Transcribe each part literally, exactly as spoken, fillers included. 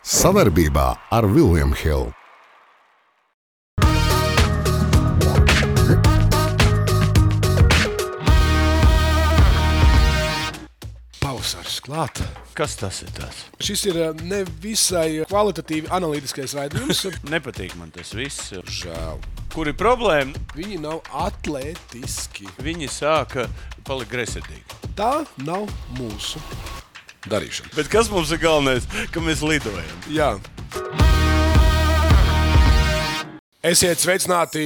Savarbībā ar William Hill. Pavasaris klāt. Kas tas ir tāds? Šis ir nevisai kvalitatīvi analītiskais raidījums. Nepatīk man tas viss. Žēl. Kur ir problēma? Viņi nav atlētiski. Viņi sāka palikt greizsirdīgi. Tā nav mūsu darīšana. Bet kas mums ir galvenais? Ka mēs lidojam. Jā. Esiet sveicināti,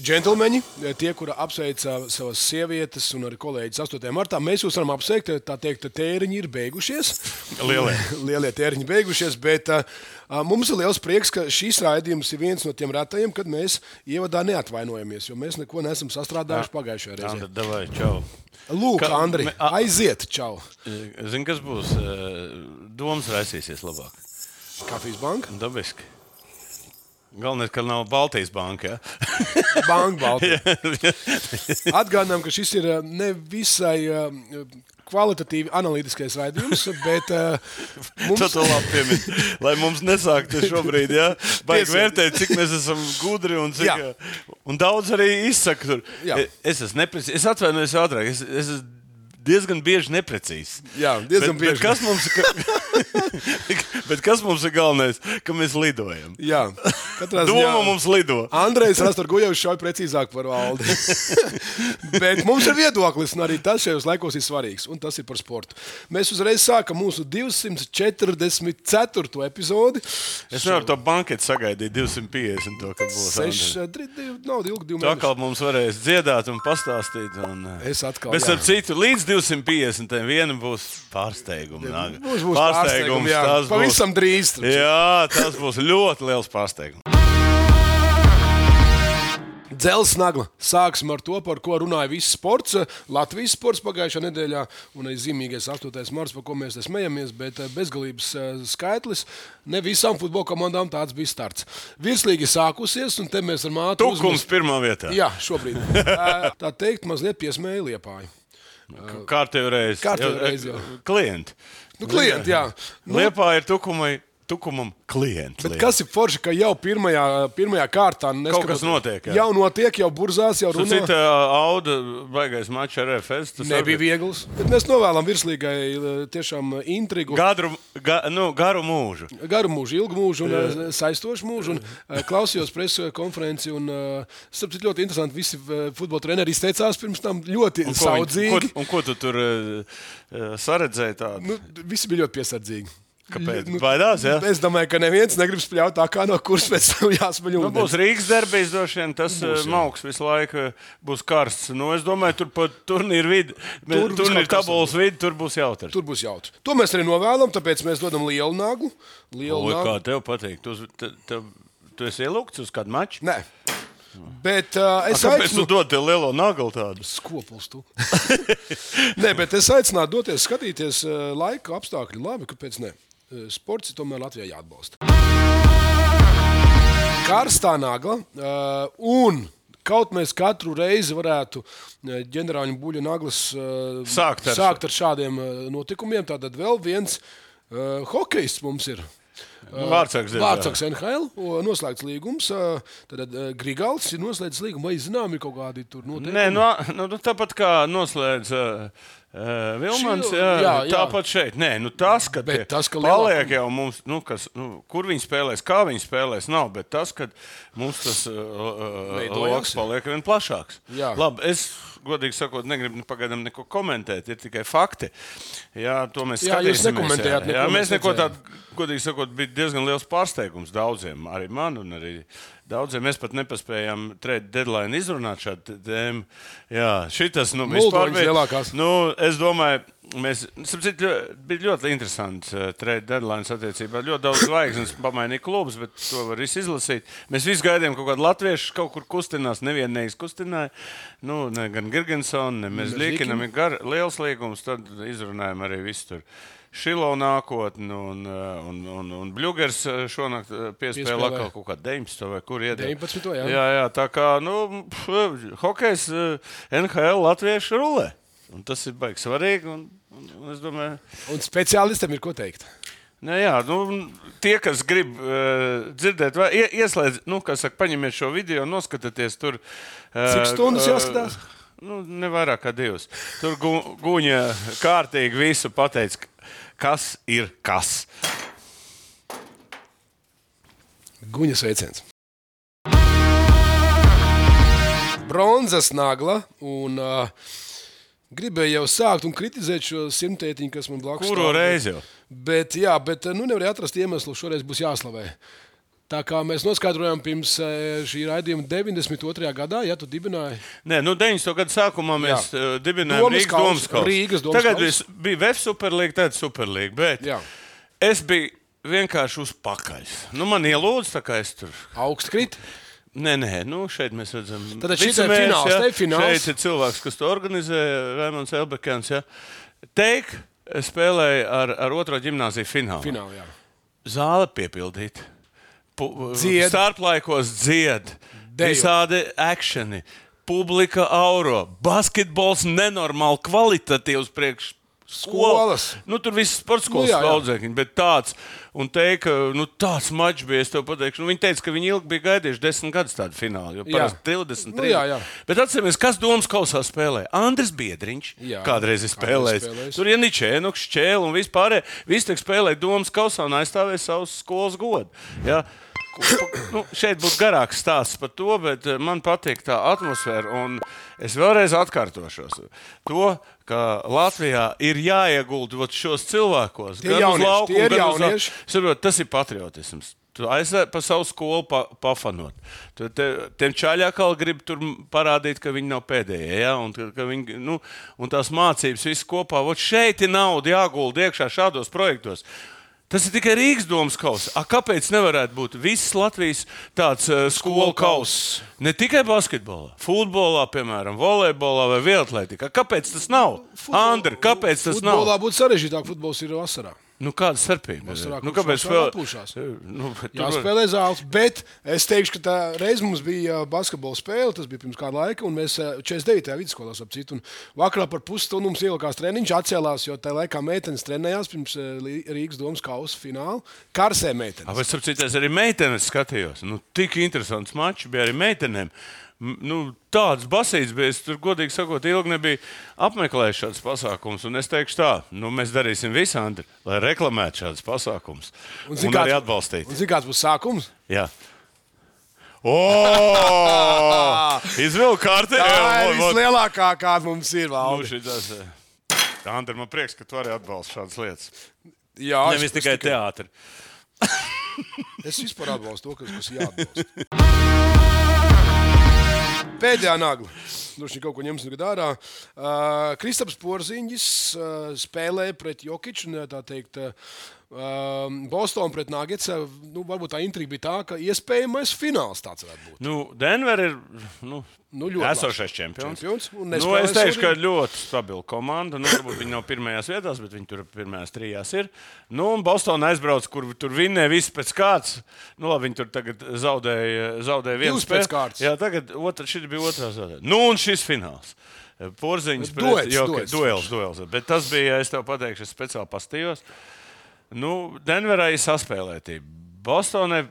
džentlmeņi, tie, kuri apsveica savas sievietes un arī kolēģis astotajā martā. Mēs jūs varam apsveikt, tā teikt, tēriņi ir beigušies. Lielie. Lielie tēriņi beigušies, bet uh, mums ir liels prieks, ka šīs raidījums ir viens no tiem retajiem, kad mēs ievadā neatvainojamies, jo mēs neko neesam sastrādājuši pagājušajā reizē. Andri, davai, čau. Lūk, Ka- Andri, me- a- aiziet, čau. Zini, kas būs? Domas raisīsies labāk. Kafijas banka? Dabiski. Galvenais, ka nav Baltijas banka, ja? Banka Baltija. Atgādinām, ka šis ir uh, nevisai uh, kvalitatīvi analītiskais raidījums, bet uh, Tu mums... to labi piemini. Lai mums nesāktu šobrīd, ja? Vajag Tiesa. vērtēt, cik mēs esam gudri un cik... Jā. Un daudz arī izsaka tur. Jā. Es esmu neprecīzs. Es atvainojos ātrāk. Es, es esmu diezgan bieži neprecīzs. Jā, diezgan bet, bieži. Bet kas, mums, ka, bet kas mums ir galvenais? Ka mēs lidojam. Jā, katrā Doma mums lido. Andrejs Rastorgujevs šauj precīzāk par valdi. Bet mums ir viedoklis, un arī tas šajos laikos ir svarīgs, un tas ir par sportu. Mēs uzreiz sākam mūsu divsimt četrdesmit ceturto epizodi. Es nevaru to banketu sagaidīt divsimt piecdesmit. To, kad būs. Seši, Andri. tri, divi, nav ilgi, divi Tu mēneši. atkal mums varēs dziedāt un pastāstīt. Un, Es atkal, Bet jā. ar citu, līdz divsimt piecdesmit vienam būs pārsteigums. Būs, būs pārsteigums, jā. tas būs- Pavisam drīz. taču. Jā, tas būs ļoti liels pārsteigums. Dzelzs nagla. Sāksim ar to, par ko runāja viss sports. Latvijas sports pagājušā nedēļā un arī zīmīgais astotais marts, par ko mēs te smejamies, bet bezgalības eh, skaitlis. Ne visām futbola komandām tāds bija starts. Virslīgi sākusies, un te mēs ar mātu Tukums pirmā vietā. Jā, šobrīd. Eh, Tā teikt, mazliet piesmēja Liepāju. Kārtējo reizi. Kārtējo reizi, jā. Klienti. Nu, klienti, jā. Nu, Liepā ir tukumai, tukumam klienti. Bet kas ir forši, ka jau pirmajā, pirmajā kārtā Kaut kas notiek, jā. Jau notiek, jau burzās, jau runā. Cita auda baigais mačs ar R F S. tas Nebija arī- viegls. Bet mēs novēlam virslīgai eh, tiešām intrigu. Gadru, ga, nu, garu mūžu. Garu mūžu, ilgu mūžu un uh, saistošu mūžu. Un, uh, klausījos preses konferenci un uh, starp citu ļoti interesanti. Visi uh, futbola treneri izteicās pirms tam ļoti Un ko, viņi- saudzīgi. ko, un ko tu tur uh, saredzēji tādu? Nu, visi bija ļoti piesardzīgi. Kāpēc? Nu, Baidās, jā? Es domāju, ka neviens negrib spļaut tā, kā no kuras pēc tam jāsmaļ Nu, ūdens. būs Rīgas derbijs, droši vien tas Būs, būs, jā. mauks visu laiku būs karsts. Nu, es domāju, tur pat turnīra vidi, Tur tur viskaut ir kas tabulas vidi, tur būs jautrs. Tur būs jautrs. To mēs arī novēlam, tāpēc mēs dodam lielu nagu. Lielu Oi, nagu. kā tev patīk? Tu, uz- te, te, tu esi ielūgts uz kādu maču? Nē. Bet uh, es Kāpēc tu aicinu... dod tev lielo naglu tādu? Skopuls tu. Nē, bet es aicinātu doties skatīties uh, laika apstākļi. Labi, kāpēc ne? Uh, Sports ir tomēr Latvijā jāatbalsta. Karstā nagla uh, un kaut mēs katru reizi varētu uh, ģenerāļu buļļa naglas uh, Sākt ar sākt ar šādiem uh, notikumiem. Tātad vēl viens uh, hokejists mums ir. Vārtsargs, diemžēl. Vārtsargs N H L, o, noslēgts līgums. uh, Tad uh, Grigals ir noslēdzis līgumu. Vai zinām, ir kaut kādi tur noteikumi? Nē, nu, nu, tāpat kā noslēdz uh, uh, Vilmans, Šī- jā, jā, jā. tāpat šeit. Nē, nu, tas, ka Bet tie tas, ka paliek lielākam- jau mums, nu, kas, nu, kur viņi spēlēs, kā viņi spēlēs, nav. Bet tas, ka mums tas uh, Veidojās. loks paliek vien plašāks. Jā. Labi, es godīgi sakot, negribu pagaidām neko komentēt, ir tikai fakti. Jā, to mēs Jā, jūs skatīsimies. nekomentējāt jā, neko, jā, mēs mēs neko redzējām. tādu, godīgi sakot, bija diezgan liels pārsteigums daudziem, arī man un arī daudziem. Mēs pat nepaspējām trade deadline izrunāt šādu tēmu. Jā, šitas, nu, vispār Muldoņas lielākās. Nu, es domāju, mēs, sapcīt, ļo- bija ļoti interesants uh, trade deadline attiecībā. Ļoti daudz zvaigznes pamainīja klubus, bet to var visu izlasīt. Mēs visi gaidījām kaut kādu latviešu kaut kur kustinās, nevienu neizkustināja. Nu, ne gan Girgensons, ne Mezļikinam ir gar, liels līgums, tad izrunājām arī visu tur. Šilo nākotni un, un, un, un Bļugers šonakt piespēlē Piespēlē. atkal kaut kā deviņpadsmito vai kur iedod. deviņpadsmito, jā. Jā, jā, tā kā, nu, pf, hokejs eh, N H L latviešu rulē. Un tas ir baigi svarīgi un, un, un es domāju, Un speciālistam ir ko teikt. ne, jā, nu, tie, kas grib uh, dzirdēt, vai ie, ieslēdz, nu, kā saka, paņemiet šo video, noskatieties tur. Uh, Cik stundas jāskatās? Uh, nu, ne vairāk kā divas. Tur gu, Guņa kārtīgi visu pateica, kas ir kas. Guņa sveiciens. Bronzas nagla un uh, gribēju jau sākt un kritizēt šo simtētiņu, kas man blakus Kuro reizi jau? Bet, jā, bet nu, nevarēja atrast iemeslu, šoreiz būs jāslavē. Tā kā mēs noskaidrojām pirms šī raidījuma deviņdesmit otrajā gadā, ja tu dibināji. Nē, nu deviņdesmito gadu sākumā mēs jā. dibinājām Domas Rīgas kaus, domas kausu. Rīgas domas Tagad kaus. bija V E F Superlīga, tad Superlīga, bet Jā. es biju vienkārši uz pakaļ. Nu, man ielūdz, tā kā es tur... Augst krit. Nē, nē, nu šeit mēs redzam... Tad šis ir fināls, ja? te ir fināls. Šeit ir cilvēks, kas to organizē, Raimonds Elbekans, ja? Teik spēlēja ar, ar otro ģimnāziju finālu. Fināli, jā. Zāle piepildīta. Dzied. Starplaikos dzied. Dejo. Visādi akšeni. Publika auro. Basketbols nenormāli kvalitatīvs priekš Skolas. Nu, tur viss sports skolas Nu, jā, jā. daudzēkņi, bet tāds, un teika, nu, tāds mačs bija, es tev pateikšu. Nu, viņi teica, ka viņi ilgi bija gaidījuši desmit gadus tādu finālu, jo parasti divdesmit, Nu, jā, jā. Bet atceramies, kas domas kausā spēlē? Andris Biedriņš Jā, kādreiz ir spēlējis. spēlējis. Tur ir Ničēnuks, Čēl un vispārējie. Visi tiek spēlēja domas kausā un aizstāvēja savus skolas godu. Ja? Nu, šeit būtu garāks stāsts par to, bet man patīk tā atmosfēra. Un es vēlreiz atkārtošos. To, ka Latvijā ir jāiegulda šos cilvēkos. Tie jaunieši, tie ir jaunieši. Saprot, tas ir patriotisms. Tu aizsēji pa savu skolu pa, pafanot. Tu te, tiem čaļākal grib tur parādīt, ka viņi nav pēdējie. Ja? Un, ka viņi, nu, un tās mācības viss kopā. Vot šeit ir nauda jāgulda iekšā šādos projektos. Tas ir tikai Rīgas domas kauss. A, kāpēc nevarētu būt viss Latvijas tāds uh, skolu kauss? Ne tikai basketbolā, futbolā, piemēram, volejbolā vai vieglatlētikā. Kāpēc tas nav? Andri, kāpēc tas Futbolā nav? Futbolā būtu sarežģītāk, futbols ir vasarā. Nu, kāda starpība? Vasarā Nu, kāpēc vēl vēl... atpūšās? Nu, bet tur- Jāspēlē zāles, bet es teikšu, ka tā reiz mums bija basketbola spēle, tas bija pirms kāda laika, un mēs četrdesmit devītajā vidusskolā ap citu. Vakarā par pusstundu mums ielikās treniņš, atcēlās, jo tajā laikā meitenes trenējās pirms Rīgas domas kausa fināla. Karsē meitenes. Vai sapcīties, arī meitenes skatījos? Nu, tik interesants mačs bija arī meitenēm. Nu, tāds basīts bija, es tur, godīgi sakot, ilgi nebija apmeklējis šāds pasākums. Un es teikšu tā, nu, mēs darīsim visu, Andri, lai reklamētu šāds pasākums. Un, un arī atbalstītu. Un zini, kāds būs sākums? Jā. O! Izvilku kārtē. Tā ir vislielākā, kāda mums ir. Nu, Valdi. šitas, Andri, man prieks, ka tu arī atbalsti šādas lietas. Jā, Nevis es- tikai teātri. Es vispār atbalstu to, kas, kas jāatbalsta. Pēdējā nagla. Droši vien kaut ko ņemsim tagad ārā. Uh, Kristaps Porziņģis uh, spēlēja pret Jokiču, un, tā teikt, uh, Boston pret Nuggets. Uh, nu, varbūt tā intriga bija tā, ka iespējamais fināls tāds varētu būt. Nu, Denver ir nu, Nu, ļoti esošais labs čempions. čempions, un Nu, nespēlē es teikšu, ka šodien. ļoti stabila komanda. Nu, varbūt viņi nav pirmajās vietās, bet viņi tur pirmajās trijās ir. Nu, un Bostonā aizbrauc, kur tur vinnēja viss pēc kārtas. Nu, labi, viņi tur tagad zaudēja, zaudēja vienu Divas spēli. pēc kārtas. Jā, tagad otra, šis bija otrā zaudēja. Nu, un šis fināls. Porziņš pret Duets, Jokic. duets. Duels, duels. Bet tas bija, es tev pateikšu, es speciāli pastījos. Nu, Denverā ir saspēlētība. Bostonai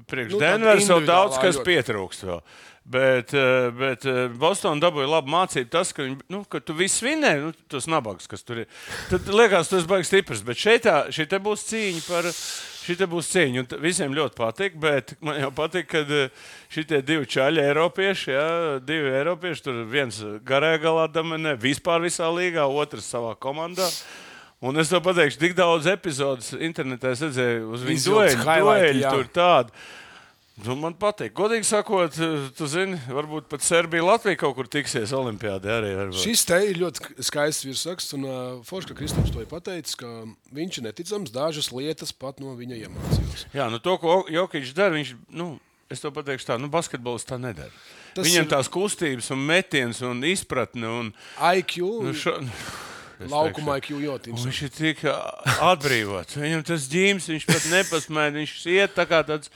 priekš Nu, tāda Denveras vēl individuālā daudz kas ļoti. pietrūkst vēl. Bet, eh, bet eh, Bostonā dabūja labu mācību tas, ka, viņi, nu, ka tu viss vinēji, nu, tos nabaks, kas tur ir. Tad liekas, tas baigs stiprs, bet šeit tā, šī te būs cīņa par, šī te būs cīņa. Un t- visiem ļoti patīk, bet man jau patīk, kad šie divi čaļi Eiropieši, jā, divi Eiropieši, tur viens garajā galā dominē, vispār visā līgā, otrs savā komandā. Un es tev pateikšu, tik daudz epizodus internetā es redzēju uz viņu Izvilkts dueļu, highlighti, dueļu jā. tur tādu. Nu, man patīk. Godīgi sakot, tu zini, varbūt pat Serbija, Latvija kaut kur tiksies olimpiādē arī. Varbūt. Šis te ir ļoti skaists virsraksts, un uh, Foršs, ka Kristaps to ir pateicis, ka viņš ir neticams, dažas lietas pat no viņa iemācījās. Jā, nu to, ko Jokic dara, viņš, nu, es to pateikšu tā, nu, basketbols tā nedara. Tas Viņam ir- tās kustības un metiens un izpratne un, I Q. nu, šo, Laukumā Q Jotims. Viņš ir tik atbrīvots. Viņam tas ģīms, viņš pat nepasmēd, viņš iet tā kā tāds,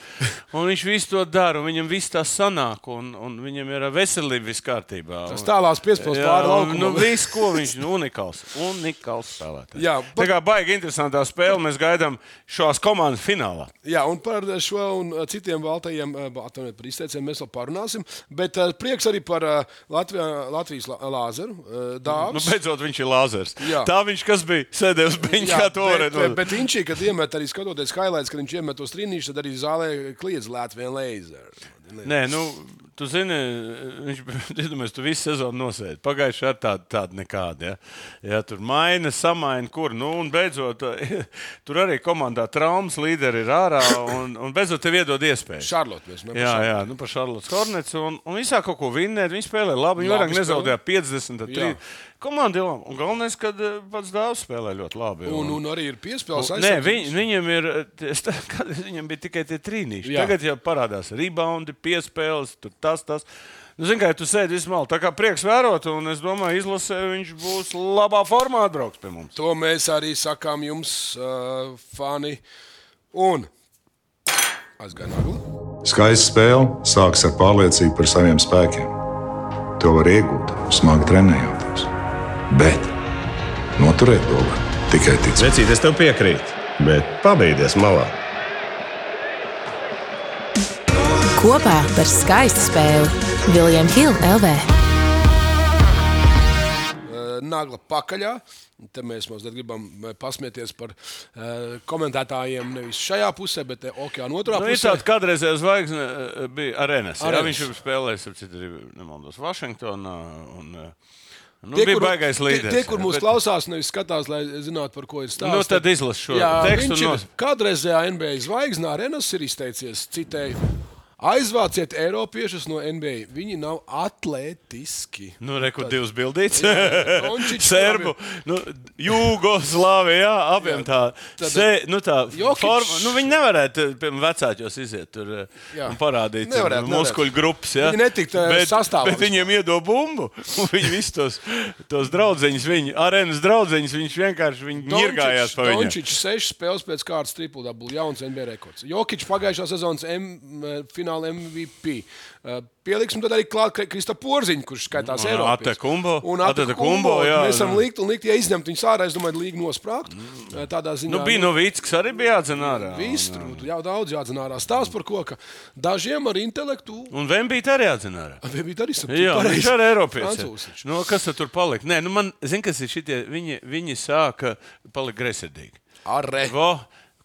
un viņš visu to dara, un viņam viss tā sanāk, un, un viņam ir veselība viss kārtībā. Tas tālās piespēles pāri laukumam. Nu, viss, ko viņš ir unikāls. Unikāls spēlētājs. Jā, par... Tā kā baigi interesantā spēle, mēs gaidām šās komandas finālā. Jā, un par šo un citiem valtajiem, atvainojiet par izteiciem, mēs vēl parunāsim, bet prieks arī par Latvijā, Latvijas Lāzeru. Dāvs. Nu, beidzot, viņš ir Lāzers. Jā. Tā viņš, kas bija, sēdēja uz beņķa, kā to varētu. Bet, bet viņš, kad iemet arī skatoties highlights, kad viņš iemet tos trīnīšus, tad arī zālē kliedz Latvijas Lāzeru. Nē, nu, tu zini, viņš, iedomājies, tu visu sezonu nosēdi. Pagājuši ar tādu, tādu nekādu, ja. Ja tur maina, samaina, kur, nu, un beidzot, tur arī komandā traumas līderi ir ārā, un, un beidzot tev iedod iespēju. Šarlot, mēs mēs. Jā, jā, nu, par Šarlotas Hornets, un, un visā kaut ko vinnēt, viņi spēlē labi, viņi vairāk nezaudēja piecdesmit, trīs. Komanda ir labi, un galvenais, kad pats Dāvs spēlē ļoti labi. Un, un arī ir piespēles aizsardzības. Nē, viņ, viņam ir, viņam bija tikai tie trīnīši. Jā. Tagad jau parādās reboundi, piespēles, tur tas, tas. Nu, zin, kā, tu sēdi visu malu, tā kā prieks vērot, un es domāju, izlasē viņš būs labā formā atbrauks pie mums. To mēs arī sakām jums, uh, fani. Un aizgāja nagla. Skaista spēle sākas ar pārliecību par saviem spēkiem. To var iegūt, smagi trenējoties. Bet noturēt to var tikai ticēt. Vecīt, es tev piekrītu, bet pabeigties malā. Kopā par skaistu spēli William Hill L V. Nagla pakaļā. Te mēs mazliet gribam pasmieties par uh, komentētājiem nevis šajā pusē, bet okeāna otrā nu, pusē. Ir tāds kādreizējais zvaigzne bija Arenas. Jā, viņš jau spēlējis, ap citu arī nemaldos, Vašingtonā. Un, nu, tie, bija kur, baigais līderis. Tie, tie, kur mūs bet... klausās, nevis skatās, lai zinātu, par ko ir stāsts. Nu, tad izlas šo jā, tekstu. Viņš ir kādreizējā N B A zvaigzne Arenas ir izteicies, citēju. Aizvāciet Eiropiešus no N B A. Viņi nav atletiski. Nu, reku divas bildītes. Serbu, nu, Jūgoslāvija, jā, abiem tā. Se, nu, tā forma, nu, viņi nevarētu, piemēram, vecāķos iziet tur jā. Un parādīt nevarētu, muskuļu nevarētu. Grupas, jā. Viņi netikt sastāvā. Bet viņiem iedo bumbu, un viņi visus tos, tos draudzeņus, viņi, Arenas draudzeņus, viņš vienkārši, viņi ņirgājās pa viņiem. Dončičs sešas spēles pēc kārtas triple double, jauns N B A rekords. Jokičs pagājušā sezonas M, finālā M V P. Uh, Pieliksim tad arī klāt Krista Porziņu, kurš skaitās Eiropietis. Atekumbo. Un Atekumbo. Mēs varam likt un likt, ja izņemt viņus ārā, es domāju, līga nosprākt. Mm. Tādā ziņā. Nu, bija no Vītskas arī bija jādzen ārā. Viss tur, jau daudz jādzen ārā. Stāsts par ko, ka dažiem ar intelektu. Un Vembīt arī jādzen ārā. Vembīt arī saprat. Jā, viņš arī Eiropietis. Nu, kas tur palika? Nē, nu man, zin, kas ir šitie, viņi, viņi sāka palikt greizsirdīgi. Arre. Vo.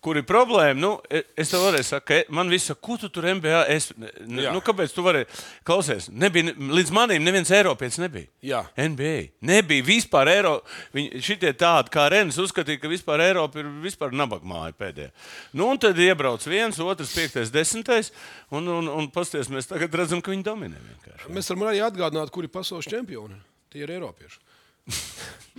Kur ir problēma? Nu, es tev varēju saka, man viss saka, ko tu tur N B A? Es, nu, kāpēc tu vari klausies? Nebija, līdz manīm neviens Eiropietis nebija. Jā. N B A. Nebija vispār Eiropa. Viņi šitie tādi kā Renes uzskatīja, ka vispār Eiropa ir vispār nabagmāja pēdējā. Nu, un tad iebrauc viens, otrs, piektais, desmitais, un, un, un pasties, mēs tagad redzam, ka viņi dominē vienkārši. Mēs varam arī atgādināt, kuri pasaules čempioni. Tie ir Eiropieši.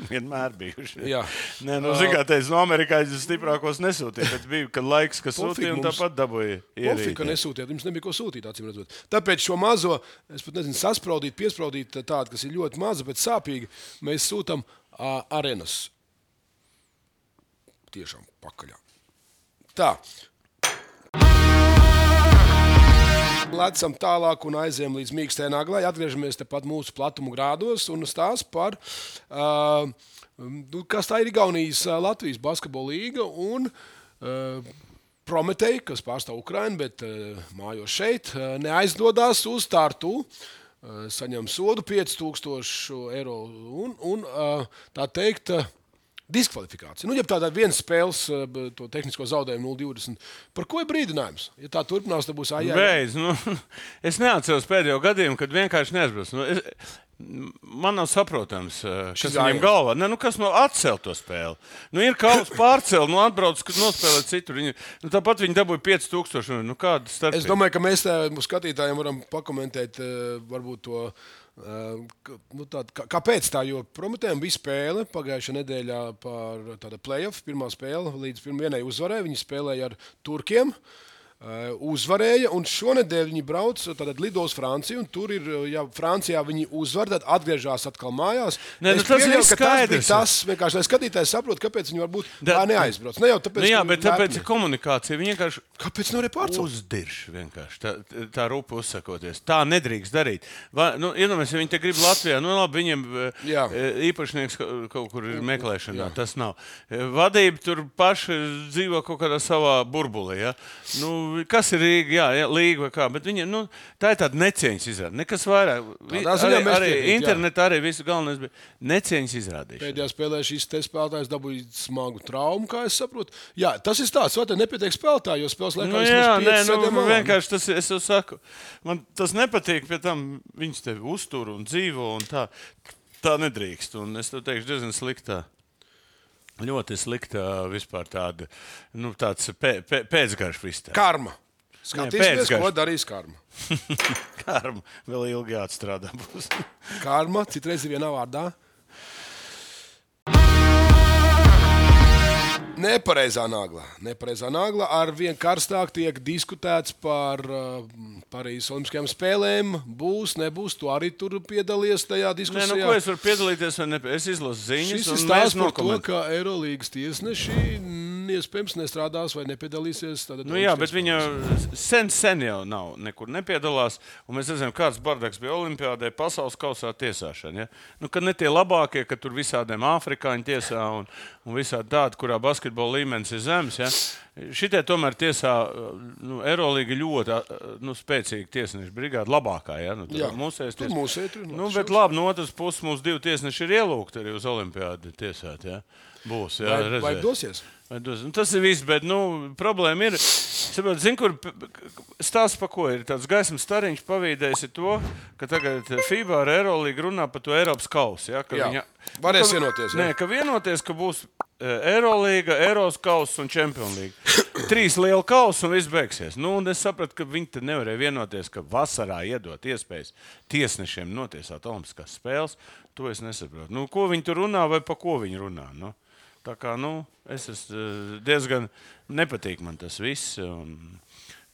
Vienmēr bijuši. Jā. Nē, nu, zin, kā teicu, no amerikāņu stiprākos nesūtīja, bet bija, kad laiks, kas sūtīja, un tāpat dabūja ierīt. Pofika nesūtiet, jums nebija ko sūtīt, acīm redzot. Tāpēc šo mazo, es pat nezinu, saspraudīt, piespraudīt tādu, kas ir ļoti maza, bet sāpīgi, mēs sūtam uh, Arenas. Tiešām pakaļā. Tā. Lecam tālāk un aizējam līdz mīkstai naglai. Atgriežamies tepat mūsu platumu grādos un stāst par, uh, kas tā ir Igaunijas Latvijas basketbola līga un uh, Prometei, kas pārstāv Ukrainu, bet uh, mājo šeit, uh, neaizdodās uz Tartu, uh, saņem sodu pieci tūkstoši eiro un, un uh, tā teikt, uh, diskvalifikācija. Nu, ja tādā viens spēles to tehnisko zaudējumu nulle divdesmit. Par ko ir brīdinājums? Ja tā turpinās, tad būs ājā. Beidz, nu, es neatceros pēdējo gadījumu, kad vienkārši neaizbrauc. Nu, es, man nav saprotams, kas viņam galvā. Ne, nu, kas no atcelt to spēli? Nu, ir kauls pārcelt, nu, atbrauc, kad nospēlēt citur. Viņi, nu, tāpat viņi dabūja pieci tūkstoši. Nu, kāda starpība? Es domāju, ka mēs tā, skatītājiem varam pakomentēt varbūt to. Uh, nu tā, kā, kāpēc tā? Jo Prometējiem bija spēle pagājušā nedēļā par tādu play-off, pirmā spēle līdz vienai uzvarai. Viņi spēlēja ar turkiem. Uh, uzvarēja, un šonedēļ viņi brauc, tad lido uz Franciju, un tur ir, ja Francijā viņi uzvar, tad atgriežas atkal mājās. Ne, nu, tas ir skaidrs. Tas vienkārši, lai skatītājs saprot, kāpēc viņi varbūt tā neaizbrauc. Ne jau tāpēc, nu, jā, bet tāpēc ir komunikācija. Viņi vienkārši kāpēc nevarēja pārcelt? Uzdirš vienkārši, tā, tā rupa uzsakoties. Tā nedrīkst darīt. Va, nu, iedomājies, ja viņi te grib Latvijā, nu labi, viņiem jā. īpašnieks kaut kur ir meklēšanā, jā. Tas nav. Vadība tur paši dzīvo kaut kādā savā burbulī, ja? Nu, kas ir Rīga, jā, jā, Līga vai kā, bet viņa, nu, tā ir tāda necieņas izrāde. Nekas vairāk. Vi, arī arī internetā arī visu galvenais bija necieņas izrādīšana. Pēdējā spēlē šis te spēlētājs dabūja smagu traumu, kā es saprotu. Jā, tas ir tāds, vai te nepietiek spēlētāji, jo spēles laikā nu, jā, nē, nu, vienkārši tas, es jau saku, man tas nepatīk, pie tam viņas tevi uztur un dzīvo un tā, tā nedrīkst. Un es tev teikšu diezgan sliktā. Ļoti slikta vispār tāda, nu, tāds pē, pē, pēcgarš viss tā. Karma. Skatīsimies, ko darīs karma. Karma. Vēl ilgi jāatstrādā būs. Karma, citreiz ir vienā vārdā. Nepareizā nagla. Nepareizā nagla. Ar vien karstāk tiek diskutēts par uh, Parīzes Olimpiskajām spēlēm. Būs, nebūs. Tu arī tur piedalies tajā diskusijā. Nē, nu, ko es varu piedalīties? Ne... Es izlasu ziņas. Šis ir stāsts par to, ka Eirolīgas tiesneši iespējams nestrādās vai nepiedalīsies. Nu, jā, bet viņa sen, sen jau nav, nekur nepiedalās. Un mēs redzam, kāds bardaks bija Olimpiādē, pasaules kausā tiesāšana. Ja? Nu, kad ne tie labākie, ka tur visādiem afrikāņu tiesā un, un visādi tādi, kurā basketbola līmenis ir zems. Ja? Šitie tomēr tiesā, nu, Eirolīga ļoti nu, spēcīga tiesneša brigāda, labākā, ja? Nu, jā, mūsēs tur mūsēt. Nu, bet labi, no otras puses mūsu divi tiesneši ir ielūgti arī uz Olimpiādi tiesāt, ja? Būs, jā, vai, vai dosies? Vai dos. Nu, tas ir viss, bet, nu, problēma ir, saprot, zin, kur stāsts pa ko ir, tāds gaismas stariņš pavīdējis ir to, ka tagad FIBA ar Eirolīgu runā par to Eiropas kausu, ja? Ka jā, viņa, varēs vienoties, jā? Nē, ka vienoties, ka būs Eirolīga, Eiros kauss un Čempionlīga. Trīs liela kausa un viss beigsies. Nu, un es sapratu, ka viņi te nevarēja vienoties, ka vasarā iedot iespējas tiesnešiem notiesāt Olimpiskās spēles. To es nesaprotu. Nu, ko viņi tur runā vai pa ko viņi runā? Nu, tā kā, nu, es esmu diezgan nepatīk man tas viss. Un,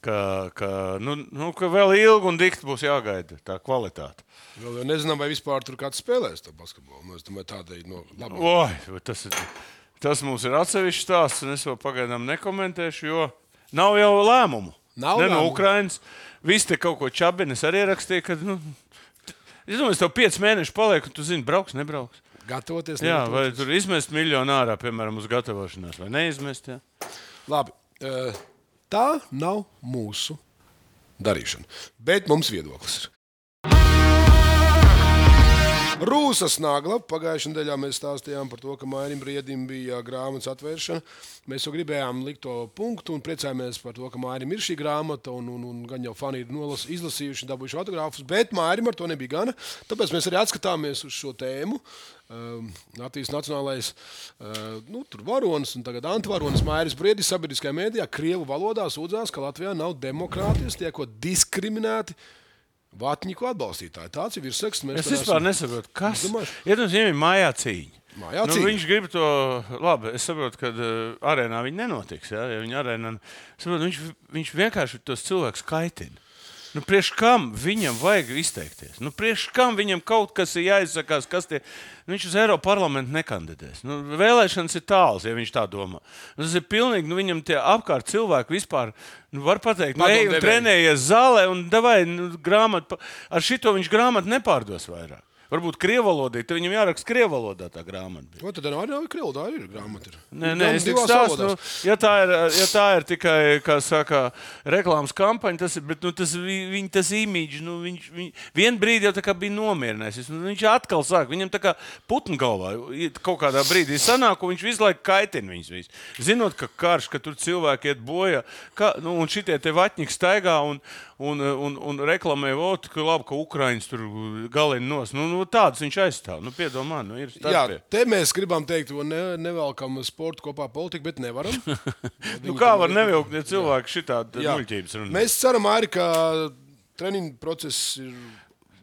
ka, ka, nu, nu, ka vēl ilgi un dikti būs jāgaida tā kvalitāte. Vēl jau nezinām, vai vispār tur kāds spēlēs to basketbolu. Nu, es domāju, tādēļ no labāk. Oi, tas ir... Tas mums ir atsevišķs stāsts, un es vēl pagaidām nekomentēšu, jo nav jau lēmumu. Nav ne lēmumu. No Ukrainas. Visi te kaut ko čabini. Es arī rakstīju, ka, nu, es domāju, es tev pieci mēneši palieku, un tu zini, brauks, nebrauks. Gatavoties, jā, negatavoties. Vai tur izmest miljonu ārā, piemēram, uz gatavošanās, vai neizmest, jā. Labi, tā nav mūsu darīšana, bet mums viedoklis ir. Rūsas nagla. Pagājušajā nedēļā mēs stāstījām par to, ka Mairim Briedim bija grāmatas atvēršana. Mēs jau gribējām likt to punktu un priecājamies par to, ka Mairim ir šī grāmata un, un, un gan jau fani ir nolas, izlasījuši un dabūjuši autogrāfus, bet Mairim ar to nebija gana. Tāpēc mēs arī atskatāmies uz šo tēmu. Uh, Latvijas nacionālais uh, nu, tur varonis un tagad antivaronis Mairis Briedis sabiedriskajā mēdījā Krievu valodā sūdzās, ka Latvijā nav demokrātijas, tiekot diskriminēti Vatņiku atbalstītāji. Tāds ir virsraksts. Es vispār esam... nesaprotu, kas. Iedomājos, viņiem ir mājā cīņa. Mājā nu, cīņa. Viņš grib to, labi, es saprotu, ka uh, arēnā viņi nenotiks. Ja, ja viņi arēnā, saprotu, viņš, viņš vienkārši tos cilvēkus kaitina. Nu, priekš kam viņam vajag izteikties? Nu, priekš kam viņam kaut kas ir jāizsakās, kas tie... Nu, viņš uz Eiropas parlamentu nekandidēs. Nu, vēlēšanas ir tāls, ja viņš tā domā. Nu, tas ir pilnīgi, nu, viņam tie apkārt cilvēki vispār, nu, var pateikt, nu, ej un trenējies zālē un davai, nu, grāmatu, ar šito viņš grāmatu nepārdos vairāk. Varbūt krievalodī, tad viņam jāraksta krievalodā tā grāmata. O, tad arī nav krievalodā, arī ir grāmata. Ir. Nē, nē, es tikai stāstu, nu, ja tā ir, ja tā ir tikai, kā saka, reklāmas kampaņa, tas ir, bet, nu, tas, viņ, tas imīdž, nu, viņš, viņ, vien brīdi jau tā kā bija nomierinājis. Nu, viņš atkal sāk, viņam tā kā putnu galvā kaut kādā brīdī sanāk, un viņš visu laiku kaitina viņus visu. Zinot, ka karš, ka tur cilvēki iet bojā, ka, nu, un šitie te vatņiki staigā un, un, un, un reklamē, ot, ka labi, ka Ukraiņas tur galini nos. Nu, nu, tādus viņš aizstāv. Nu, piedomā, nu, ir starpie. Jā, te mēs gribam teikt, to ne, nevelkam sportu kopā politiku, bet nevaram. Nu, kā var nevilkt, ja cilvēki šitādi muļķības runā? Mēs ceram arī, ka treniņu process ir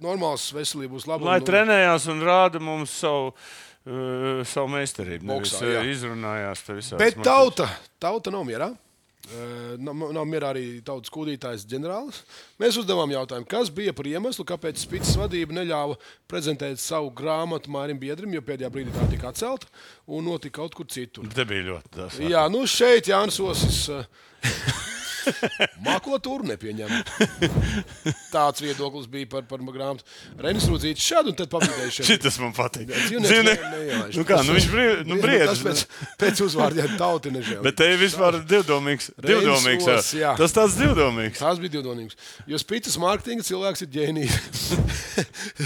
normāls, veselība būs laba. Lai un, trenējās un rāda mums savu, uh, savu meistarību. Boksā, nevis jā. izrunājās te visādas. Bet tauta, tauta nav mierā. Nav, nav mierā arī tautas kūdītājs ģenerālis. Mēs uzdevām jautājumu, kas bija par iemeslu, kāpēc Spicas vadība neļāva prezentēt savu grāmatu Mārim Biedrim, jo pēdējā brīdī tā tika atcelta un notika kaut kur citur. Te bija ļoti tas. Jā, nu šeit Jānis Osis makotūru nepieņem. Tāds viedoklis bija par, par grāmatu. Reinis Rudzītis šādu un tad pabīdējuši. Šitas man patīk. Dzīvnieks neievēš. Nu kā, nu viņš brīd, nu briedz. Tas pēc, pēc uzvārdiem tauti nežēl. Bet te ir vispār divdomīgs. Divdomīgs. Os, jā. Tas tāds divdomīgs. Tas bija divdomīgs. Jo Spicas mārketinga cilvēks ir ģēnijs.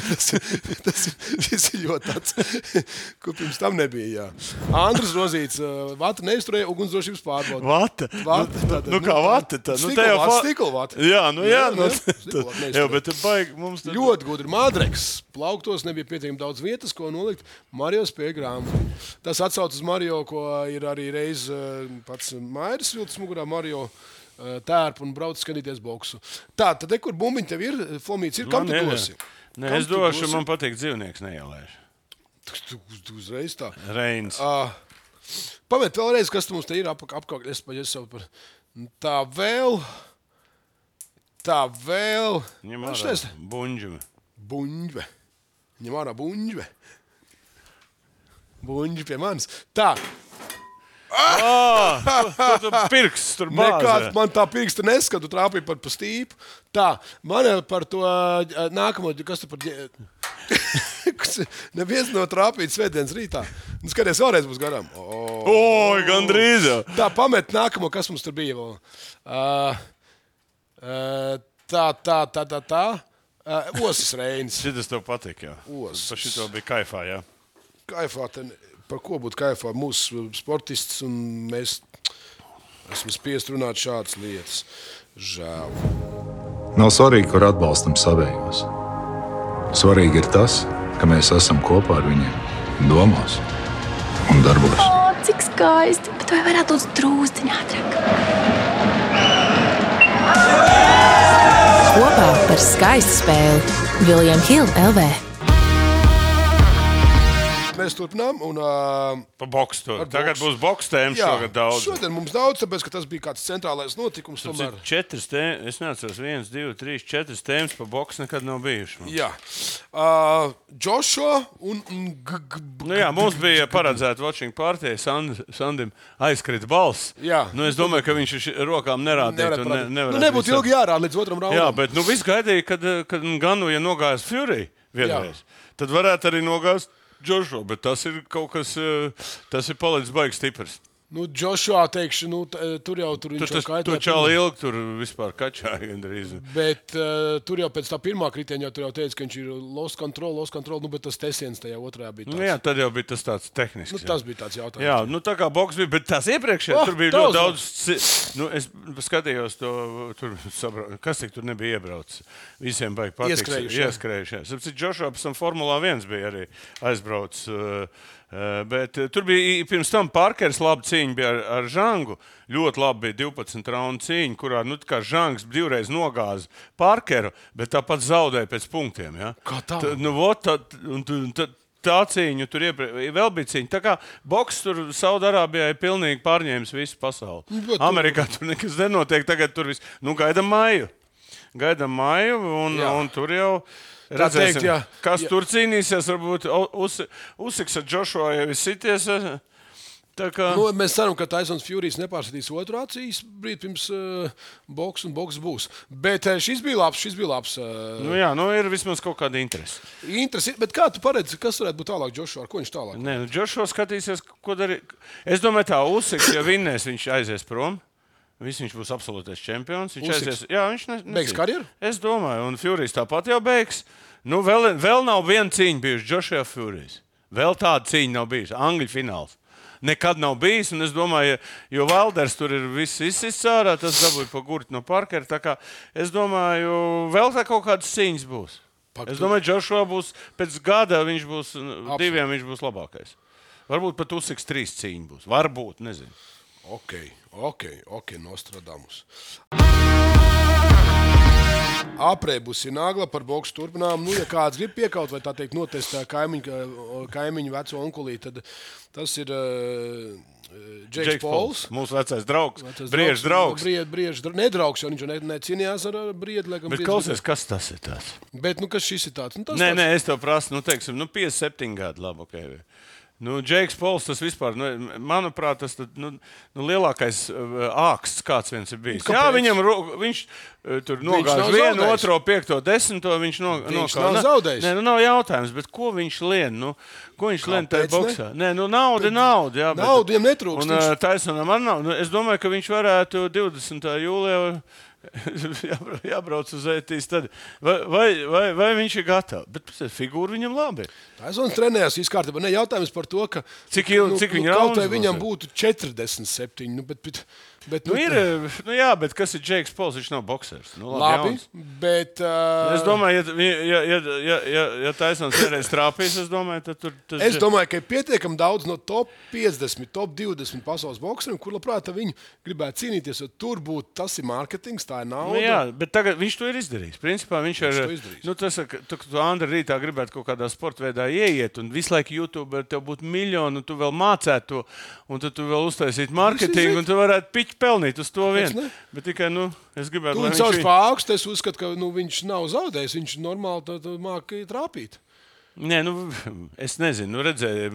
tas, tas, tas ir ļoti tāds, ko pirms tam nebija, jā. Andrus Rozīts, vata neizturēja ugunsdrošības pārbaudu. Vata? Vata. Tātad, nu, nu kā vata? Tā, nu, stikla vata, fa... stikla vata. Jā, nu jā. jā, nu, jā, jā bet baigi mums... Tad... Ļoti gudri. Madreks plauktos nebija pietiekami daudz vietas, ko nolikt. Mario spēja grāmatu. Tas atsauc uz Mario, ko ir arī reiz pats Mairis vilcis mugurā Mario tērpu un brauc skatīties boksu. Tā, tad te, kur bumbiņi tev ir, Fomīts ir, kam tu dosi? Nē, es došu, man patīk dzīvnieks neielēšu. Tu, tu uzreiz tā. Reins. Uh, Pamet vēlreiz, kas tu mums te ir ap, apkārt. Es paģēju savu par... Tā vēl... Tā vēl... Ņem ārā buņģve. Buņģve. Ņem ārā buņģve. Buņģve pie manis. Tā. Ah, tu, tu pirksts tur bāzē. Nekāds man tā pirksta neskatu, trāpīja par pa stīpu. Tā, man par to nākamo, kas tu par... Neviens no trāpīt svētdienas rītā. Nu, skaties, vēlreiz būs garām. Oh. Oi, gandrīz jau. Tā, pamet nākamo, kas mums tur bija vēl. Uh, uh, tā, tā, tā, tā, tā. Uh, Osis Reinis. Šitas tev patīk, jā. Osis. Par šito bija kaifā, jā. Kaifā, ten, par ko būtu kaifā? Mūsu sportists un mēs esam spiest runāt šādas lietas. Žēl. Nav svarīgi, kur atbalstam savējos. Svarīgi ir tas, ka mēs esam kopā ar viņiem domās un darbos. O, cik skaisti, bet vai varētu būt drūzdiņ ātrāk? Kopā par skaistu spēli William Hill L V. Mēs turpinām un... Uh, pa boksu tur. Tagad boks. būs boks tēmas šogad daudz. Šodien mums daudz, tāpēc, ka tas bija kāds centrālais notikums. Tomēr... Četras tēmas, es neatceros, viens, divi, trīs, četras tēmas pa boksu nekad nav bijuši. Mums. Jā. Uh, Joshua un... G -g nu jā, mums bija paredzēta watching party, Sand, Sandim aizkrita balss. Jā. Nu, es domāju, ka viņš rokām nerādītu. Ne, nu, nebūtu ilgi jārāda līdz otram raundam. Jā, bet nu, viss gaidīja, kad, kad Ganu, ja nogājas Fury vienreiz, tad varētu arī nogāzt Joshua, bet tas ir kaut kas, tas ir palicis baigs stiprs. Nu, Joshua, teikšu, nu, tur jau tur viņš tur, jau kaitē. Tur čāli ilgi tur vispār kačāja gandrīz. Bet uh, tur jau pēc tā pirmā kritienja tur jau teica, ka viņš ir lost control, lost control, nu, bet tas tesiens tajā otrajā bija tāds. Nu, jā, tad jau bija tas tāds tehnisks. Nu, tas bija tāds jautājums. Jā, nu tā kā boks bija, bet tās iepriekšējā oh, tur bija ļoti daudz. Nu, es skatījos to, tur, sabra... kas tik tur nebija iebraucis. Visiem baigi patiks. Ieskrējuši. Ieskrējuši, jā. Sapcīt, Joshua pēc tam Formulā viens bija arī aizbraucis. Uh, Bet tur bija pirms tam Parkers laba cīņa bija ar, ar Žangu. Ļoti labi bija divpadsmit raundu cīņa, kurā nu, Žangs divreiz nogāza Parkeru, bet tāpat zaudēja pēc punktiem. Ja? Kā tā? Tā, nu, ot, tā, un, tā, tā cīņa tur iepre... vēl bija cīņa. Tā kā boks tur Saudarābijā ir pilnīgi pārņēmis visu pasauli. Bet, Amerikā tur nekas nenotiek, tagad tur viss. Nu, gaidam māju. Gaidam māju un, un tur jau... Redzēsim, teikt, jā. Kas jā. Tur cīnīsies, varbūt Usiks ar Joshua jau ir sities. Kā... Nu, mēs ceram, ka Tysons Furijas nepārsatīs otru acīs brīd pirms uh, boks un boks būs. Bet uh, šis bija labs, šis bija labs. Uh... Nu jā, nu ir vismaz kaut kāda interese. Interesi, bet kā tu paredzi, kas varētu būt tālāk Joshua? Ar ko viņš tālāk? Nē, nu Joshua skatīsies, ko darīt. Es domāju, tā Usiks, ja vinnēs, viņš aizies prom. Viss viņš būs absolūtais čempions. Viņš Usiks. aizies, jā, viņš ne, beigs karjeru? Es domāju, un Furijas tāpat jau beigs. Nu, vēl, vēl nav viena cīņa bijusi Joshua Furijas. Vēl tāda cīņa nav bijusi. Angļu fināls. Nekad nav bijis, un es domāju, jo Valders tur ir viss izsists ārā, tas dabūja pa gurti no Parkera. Tā kā es domāju, vēl tā kaut kādas cīņas būs. Pat es domāju, Joshua būs pēc gada, viņš būs Absolut. diviem, viņš būs labākais. Varbūt pat Usiks trīs cīņa būs. Varbūt, nezinu. Ok, ok, ok, Nostradamus. Aprēbusi nagla par boksu turpinām. Nu, ja kāds grib piekaut vai tā teikt notestē kaimiņu, kaimiņu veco onkulī, tad tas ir uh, Džeiks Pols. Mūsu vecais draugs. Briežs draugs. Briež, briež, nedraugs, jo viņš ne, necīnījās ar Briedu. Bet klausies, kas tas ir tāds? Bet, nu, kas šis ir tāds? Nu, tas nē, tāds... nē, es tev prasu, nu, teiksim, nu, piecdesmit septiņi gadi, labi, ok. Nu, Džeiks Pols, tas vispār, nu, manuprāt, tas tad, nu, nu, lielākais uh, āksts, kāds viens ir bijis. Kāpēc? Jā, viņam, viņš uh, tur nogāž vienu, zaudējis. Otro, piekto, desmito, viņš no, viņš nokā. nav zaudējis. Nē, nu, nav jautājums, bet ko viņš lien, nu, ko viņš lien tajā boksā? Nē, nu, nauda, nauda, jā. Bet, nauda viņam netrūkst. Un uh, Tysonam ar naudu, nu, es domāju, ka viņš varētu divdesmitā jūlijā jābrauc uz ētīs. Tad. Vai, vai, vai, vai viņš ir gatavs? Bet figūra viņam labi. Taisons trenējās viss kārtībā. Ne jautājums par to, ka cik, il, cik nu, viņa kaut vai viņam būtu četrdesmit septiņi. Nu, bet, bet, bet, nu, nu, ir, nu, jā, bet kas ir Džeiks Pols? Viņš nav boksers. Nu, labi, labi bet... Uh... Es domāju, ja, ja, ja, ja, ja, ja Taisons vienreiz trāpīs, es domāju, tad tur... Tas... Es domāju, ka ir pietiekami daudz no top piecdesmit, top divdesmit pasaules bokseriem, kur labprāt viņi gribētu cīnīties, jo tur būtu, tas ir mārketings, tā ir nauda. Nu, jā, bet tagad viņš to ir izdarījis. Principā viņš, viņš ir... Nu, tas, ka tu, tu Andra rītā gribētu kaut kādā sporta veidā ieiet, un visu laiku YouTube tev būtu miljonu, un tu vēl mācētu to, un tu, tu vēl uztaisītu mārketingu, un tu varētu piķi pelnīt uz to vienu. Bet tikai, nu, es gribētu... Tu viņu sauc pa augstu, es uzskatu, ka nu, viņš nav zaudējis, viņš normāli māki trāpīt. Nē, nu, es nezinu, nu, redzēju,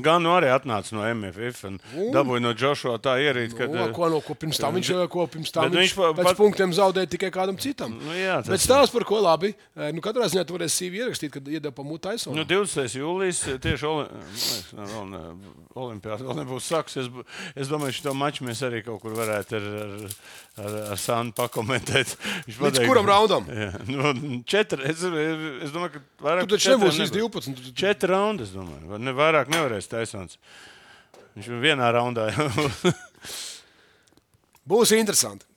gan nu arī atnāca no M F F un mm. dabūja no Joshua tā ierīt, kad... No, ko, no, ko pirms tam viņš, ko pirms tam viņš, viņš pēc pat... punktiem zaudēja tikai kādam citam. Nu, jā, bet stāsts par ko labi. Nu, katrā ziņā tu varēsi C V ierakstīt, kad iedeva pa mūtu Tysonu. Nu, divdesmitais jūlijas tieši oli... olimpiāda vēl nebūs sāks. Es, es domāju, šito maču mēs arī kaut kur varētu ar, ar, ar, ar Sandu pakomentēt. Līdz pateik, kuram raundam? Jā, nu, četri. Es, es domāju, ka vairāk... Tu taču nebūs viss divpadsmit. Četri raundi, es domāju. Ne, vairāk nevarēs Tysons. Viņš vienā raundā. Būs interesanti.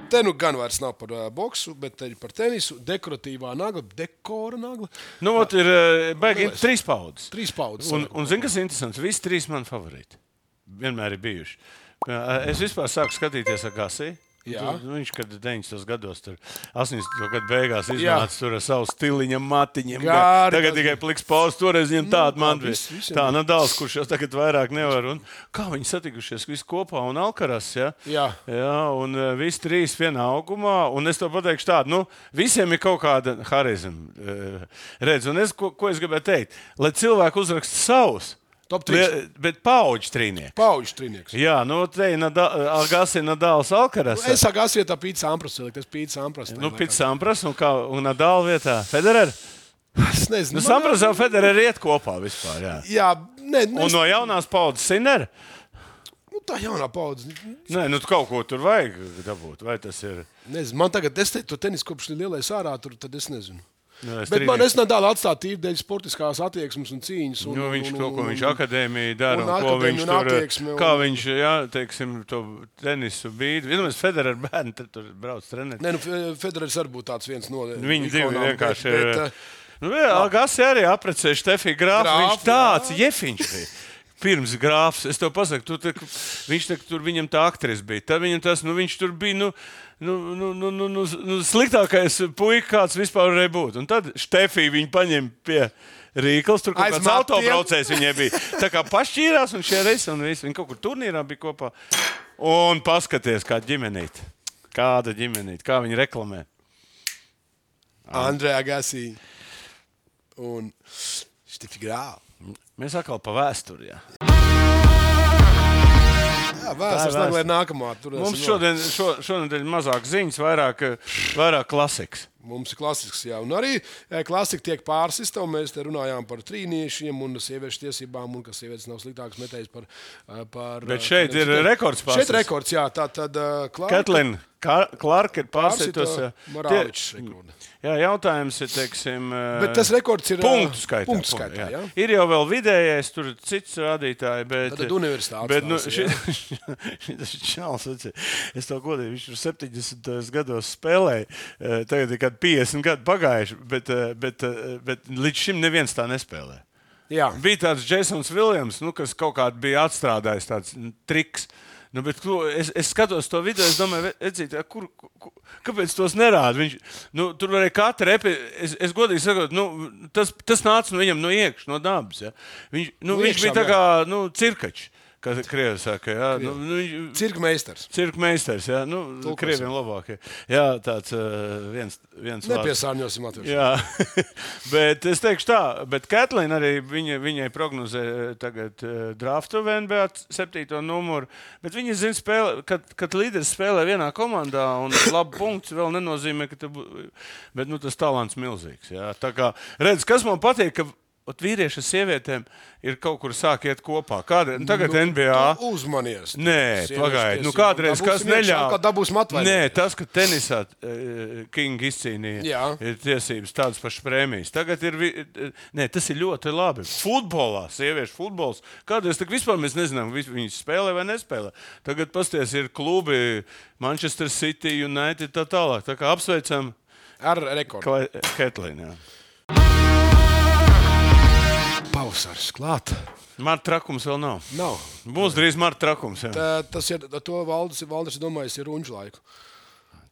Te nu gan vairs nav par uh, boksu, bet par tenisu. Dekoratīvā nagla, dekora nagla. Nu, ot, ir baigi trīs paudzes. Trīs paudzes. Un, un zini, kas ir interesants? Visi trīs mani favorīti. Vienmēr ir bijuši. Es vispār sāku skatīties ar Gasī. Tu, viņš, kad deviņdesmitos gados, tur astoņdesmito gadu beigās iznāca tur ar savu stiliņam, matiņiem. Gāri, tagad tikai pliks pauz, toreiz viņam tāda man bija. Tā Nadals, kurš jau tagad vairāk nevar. Un kā viņi satikušies visi kopā un Alkaras, ja? Jā. Jā, un uh, visi trīs vienā augumā. Un es to pateikšu tādu, nu, visiem ir kaut kāda harizma. Uh, redz, un es, ko, ko es gribēju teikt? Lai cilvēki uzraksta savus. Top trīs. Bet paudžu trīnieks. Paudžu trīnieks. Jā, nu te ir Agassi, Nadals, Alkaras. Es Agassi vietā Pīts Sampras, tas Pīts Sampras. Nu, Pīts Sampras un, kā, un Nadal vietā Federer. Es nezinu. Nu, Sampras un Federer iet kopā vispār, jā. Jā, ne, ne, un no jaunās paudzes Sinner? Nu, tā jaunā paudze. Nē, nu kaut ko tur vajag dabūt, vai tas ir? Nezinu, man tagad, es te to tenis kopš lielais ārā, tur, tad es nezinu. Jā, es bet man es nedālu atstāt tīri dēļ sportiskās attieksmes un cīņas. Un, nu, viņš un, to, ko un, viņš akadēmija dara, un, un ko viņš tur, attieksme, kā un... viņš, jā, teiksim, to tenisu bīd. Vienmēr Federer bērni tur brauc trenēt. Nē, nu, Federers arī būtu tāds viens no viņi divi vienkārši bet, ir. Bet, nu, jā, Agassi arī aprecēja Štefī Grāfu, Grāf, viņš tāds jā. Jefiņš bija. Pirms Grāfs, es tev pasaku, tu, te, viņš te, tur viņam tā aktris bija. Tad viņam tas, nu, viņš tur bija, nu, nu, nu, nu, nu, nu, nu sliktākais puika, kāds vispār varēja būt. Un tad Štefī viņu paņem pie Rīkals, tur kaut kāds autobraucējs viņai bija. Tā kā pašķīrās un šie reisi un visi. Viņi kaut kur turnīrā bija kopā. Un paskaties, kā ģimenīt. Kāda ģimenīt, kā viņi reklamē. Andrē Agassi un Štefī Grāfa. Mēs atkal pa vēsturi, jā. Jā, vēstures naglē ir nākamā. Mums šodien, šo, šonedēļ mazāk ziņas, vairāk, vairāk klasikas. Mums ir klasisks, jā. Un arī klasika tiek pārsista, un mēs te runājām par trīniešiem un sieviešu tiesībām, un ka sievietes nav sliktākas metējas par... par Bet šeit ir rekords pārsist. Šeit rekords, jā. Tā tad... Uh, Ketlina Clarka ir pārsitos. Morāvičs rekords. Jā, jautājums ir, teiksim... Bet tas rekords ir... Punktu skaitā. Punktu skaitā, jā. jā. Ir jau vēl vidējais, tur cits rādītāji, bet... Tad universitātes bet, nu, tās, tas ir čals, es to godīju, viņš tur septiņdesmitajos gados spēlēja, tagad ir kādi piecdesmit gadi pagājuši, bet, bet, bet līdz šim neviens tā nespēlē. Jā. Bija tāds Jasons Viljams, nu, kas kaut kādā bija atstrādājis tāds triks. Nu, bet, es, es skatos to video, es domāju, edzīt, kur, kur, kāpēc tos nerāda? Viņš, nu, tur varēja katru epi, es, es godīgi sakot, nu, tas, tas nāca no viņam no iekšas, no dabas. Ja? Viņš, nu, no viņš iekšām, bija tā kā nu, cirkačs. Kā krievi saka, jā. Nu, nu, cirka meistars. Cirka meistars, jā. Nu, krieviem labākie. Jā, tāds uh, viens, viens vārds. Nepiesārņosim latviešu. Jā, bet es teikšu tā, bet Katlīna arī viņa, viņai prognozē tagad uh, draftu V N B A septīto numuru, bet viņa zina spēlē, kad, kad līderis spēlē vienā komandā un labu punktu vēl nenozīmē, ka tu, bet nu, tas talants milzīgs, jā. Tā kā, redz, kas man patīk, ka ot, vīrieši ar sievietēm ir kaut kur sāk iet kopā. Kāda, nu, tagad nu, N B A... Uzmanies. Nē, pagaidi. Nu, kādreiz kas neļāva... Nē, tas, ka tenisā uh, King izcīnīja Jā. ir tiesības tādas pašas prēmijas. Tagad ir... Nē, tas ir ļoti labi. Futbolā, sieviešu futbols. Kādreiz tak vispār mēs nezinām, viņas spēlē vai nespēlē. Tagad pasties ir klubi Manchester City, United, tā tālāk. Tā kā apsveicam... Ar rekordu. Katlīnu, jā. Pavasaris klāt. Marta trakums vēl nav. Nav. Būs drīz Marta trakums. Jā. Tā, tas ir, to Valdis, Valdis ir domājis, ir runču laiku.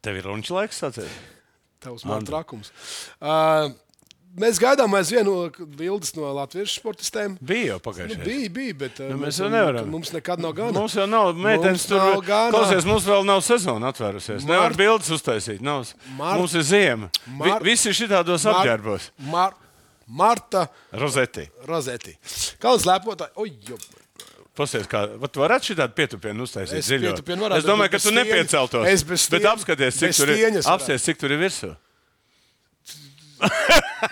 Tev ir runču laiks, sacēt? Tavs Marta trakums. Uh, mēs gaidām aizvien no bildes no latviešu sportistēm. Bija jau pagājušajā. Nu, bija, bija, bet nu, mēs jau nevaram. Mums nekad nav gana. Mums jau nav meitenes tur. Klausies, mums vēl nav sezona atvērusies. Mar... Nevar bildes uztaisīt. Nav. Mar... Mums ir ziema. Mar... Vi, visi šitādos Mar... apģērbos. Mar... Marta Rozeti. Rozeti. Kalns lepotāji. Oj, jo. Pasies, kā, tu varētu šitādu pietupienu uztaisīt es ziļo? Varētu, es domāju, ka tu nepieceltos. Es bez stieņas. Bet apskaties, cik tur ir, apskaties, cik tur ir virsū.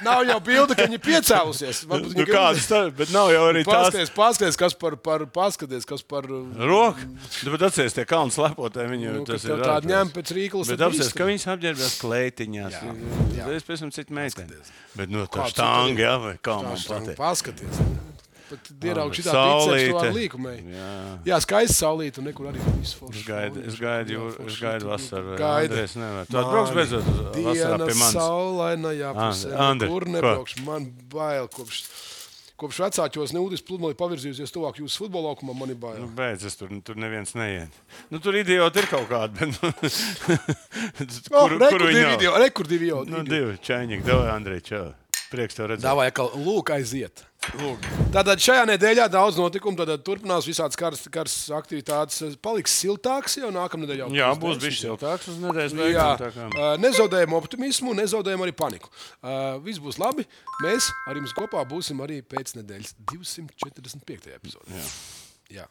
Nav jau bilde, ka viņi piecēlusies. Nu, kādas tā, bet nav jau arī paskaties, tās. Paskaties, kas par, par, paskaties, kas par... Roku? Bet atceries, tie kalns lepotāji, viņi nu, tas ir tādi ņem pēc rīklas. Bet apceries, ka viņas apģērbjās kleitiņās. Jā, jā. Es pēc tam citu meiteni. Bet nu, tā štangi, jā, vai kā man patīk. Paskaties. Pat ieraugu šitā biceps to ar līkumai. Jā, jā skaisti saulīt un nekur arī visu foršu. Es gaidu, es gaidu, es gaidu vasaru. Gaida. Andrēs nevar. Tu atbrauks beidzot vasarā pie manis. Diena saulainajā pusē. Andri, kur nebraukšu? Man bail kopš, kopš vecāķos neūdis pludmali pavirzījusies tuvāk jūsu futbola laukumam, man ir bail. Nu, beidz, es tur, tur neviens neiet. Nu, tur idioti ir kaut kādi, bet... kur, oh, kur viņi nav? Rekur divi idioti. Nu, divi čaņīgi. Davai, Andrej, čau. Prieks tev redzēt. Davai, ka lūk aiziet. Lūk. Tātad šajā nedēļā daudz notikumu, tad turpinās visādas karstas kars aktivitātes. Paliks siltāks jau nākamnedēļ. Jau Jā, būs bijis siltāks uz nedēļas beigām. Uh, nezaudējam optimismu, nezaudējam arī paniku. Uh, viss būs labi. Mēs ar jums kopā būsim arī pēc nedēļas divsimt četrdesmit piektajā epizodē. Jā. Jā.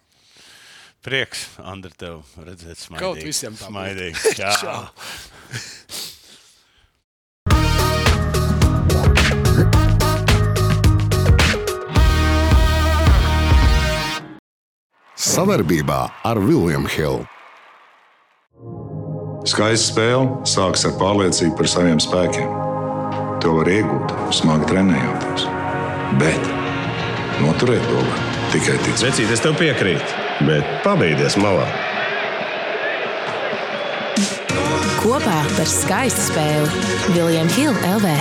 Prieks, Andri, tev redzēt smaidīgi. Kaut visiem tā smaidīgi. Čau. Savarbībā ar William Hill. Skaista spēle sākas ar pārliecību par saviem spēkiem. To var iegūt, smagi trenējoties. Bet noturēt to var tikai ticēt. Vecīt, es tev piekrītu, bet pabeigties malā. Kopā par skaistu spēli William Hill L V.